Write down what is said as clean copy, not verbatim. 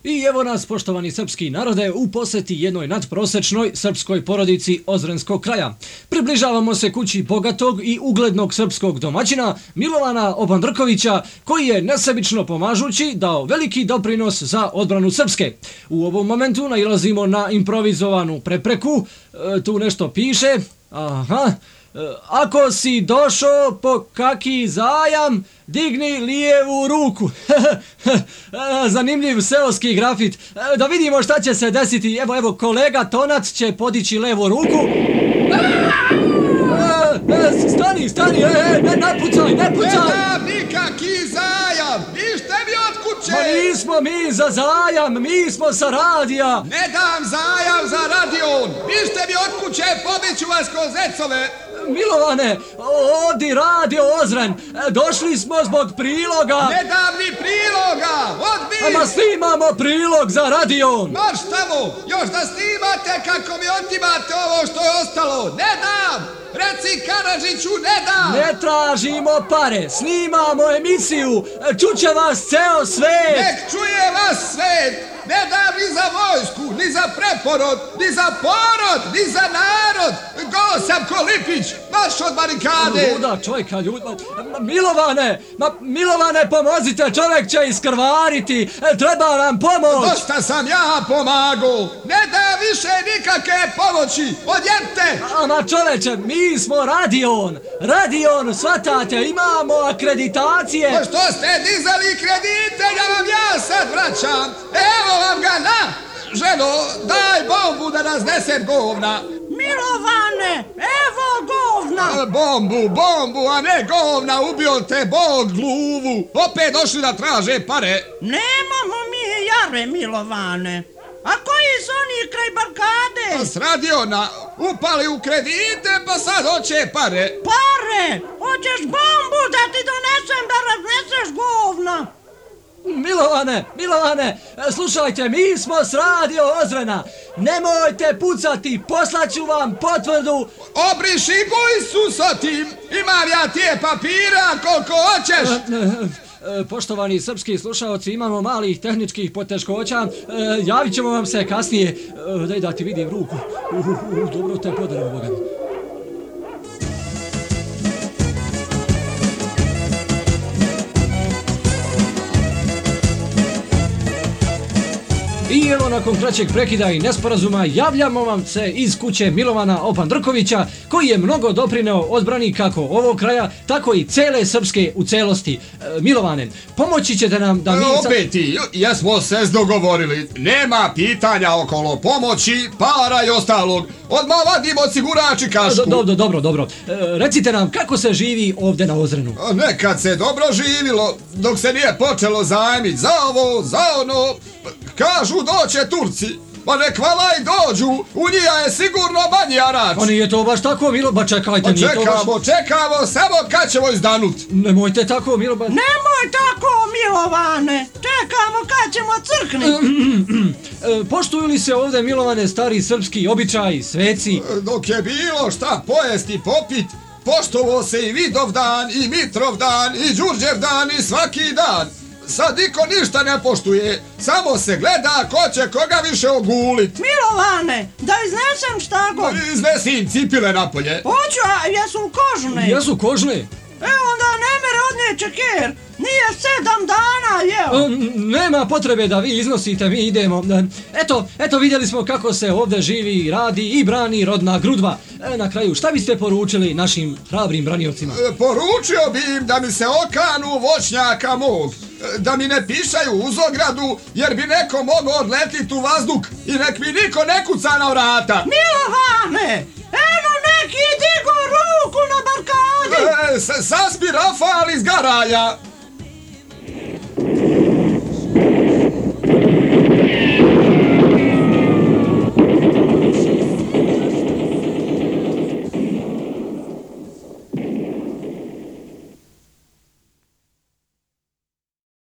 I evo nas, poštovani srpski narode, u poseti jednoj nadprosečnoj srpskoj porodici Ozrenskog kraja. Približavamo se kući bogatog i uglednog srpskog domaćina Milovana Opandrkovića, koji je nesebično pomažući dao veliki doprinos za odbranu Srpske. U ovom momentu nailazimo na improvizovanu prepreku, tu nešto piše, ako si došao po kaki zajam, digni lijevu ruku. Zanimljiv seoski grafit. Da vidimo šta će se desiti. Evo, kolega Tonac će podići levu ruku. Stani, ne pucaj. Ne dam nikaki zajam, nište mi od kuće. Ma nismo mi za zajam, mi smo sa radija. Ne dam zajam za radion, nište mi od kuće, pobiću vas ko zecove. Milovane, ovdje radio Ozren, došli smo zbog priloga. Ne dam ni priloga, odbij! Ama snimamo prilog za radion. Marš tamo, još da snimate kako mi otimate ovo što je ostalo. Ne dam, reci Karadžiću, ne dam. Ne tražimo pare, snimamo emisiju, čuće vas ceo svet. Nek čuje vas svet. Ne dam ni za vojsku, ni za preporod, ni za porod, ni za narod. Go sam ko Lipić, baš od barikade. Luda čovjeka, Milovane, pomozite, čovjek će iskrvariti, treba nam pomoć. Dosta sam ja pomagao, ne da više nikakve pomoći, odjemte. Ama čovječe, mi smo radion, shvatate, imamo akreditacije. Pa što ste dizali kredite, ja sad vraćam, evo vam ga na, ženo, daj bombu da nas nese govna. Milovane, evo govna. Bombu, a ne govna, ubio te Bog gluvu. Opet došli da traže pare. Nemamo mi jare, Milovane. A koji su oni kraj barkade? S radiona, upali u kredite pa sad hoće pare. Pare? Hoćeš bombu da ti donesem da razneseš govna? Milovane, slušajte, mi smo s radio Ozrena. Nemojte pucati, poslaću vam potvrdu. Obriši gujsu sa tim, imam ja tije papira koliko hoćeš. Poštovani srpski slušaoci, imamo malih tehničkih poteškoća, javit ćemo vam se kasnije. Daj da ti vidim ruku. Dobro te podarim, Boga mi. I evo, nakon kraćeg prekida i nesporazuma, javljamo vam se iz kuće Milovana Opandrkovića, koji je mnogo doprineo odbrani kako ovog kraja, tako i cele Srpske u celosti. Milovane, pomoći ćete nam da mi... Opet ti, jesmo se dogovorili, nema pitanja okolo pomoći, para i ostalog. Odmah vadimo osigurač i kašku. Dobro. Recite nam kako se živi ovdje na Ozrenu. Nekad se dobro živilo, dok se nije počelo zajmiti za ovo, za ono. Kažu doće Turci, pa nek valaj dođu, u njija je sigurno manji harač. Pa nije to baš tako, Ba čekajte, nije to baš... Čekamo, samo kad ćemo izdanut. Nemojte tako, Nemoj tako, Milovane, čekamo kad ćemo crkni. Poštuju li se ovdje, Milovane, stari srpski običaji, sveci? Dok je bilo šta pojesti i popit, poštovao se i Vidovdan, i Mitrovdan, i Đurđevdan, i svaki dan. Sad niko ništa ne poštuje, samo se gleda ko će koga više ogulit. Milovane, da iznesem šta god. Iznesim cipile napolje. Hoću, a jesu kožne? Jesu kožne? Evo onda ne mere odneće ker, nije 7 dana, jeo. Nema potrebe da vi iznosite, mi idemo. Eto, vidjeli smo kako se ovdje živi, radi i brani rodna Grudva. Na kraju, šta biste poručili našim hrabrim braniocima? Poručio bi im da mi se okanu voćnjaka mog, da mi ne pišaju uz ogradu, jer bi neko mogao odletit u vazduh i nek mi niko ne kuca na vrata. Milovane, eno neki digo ruku na barkadi. Saspi Rafal iz Garaja.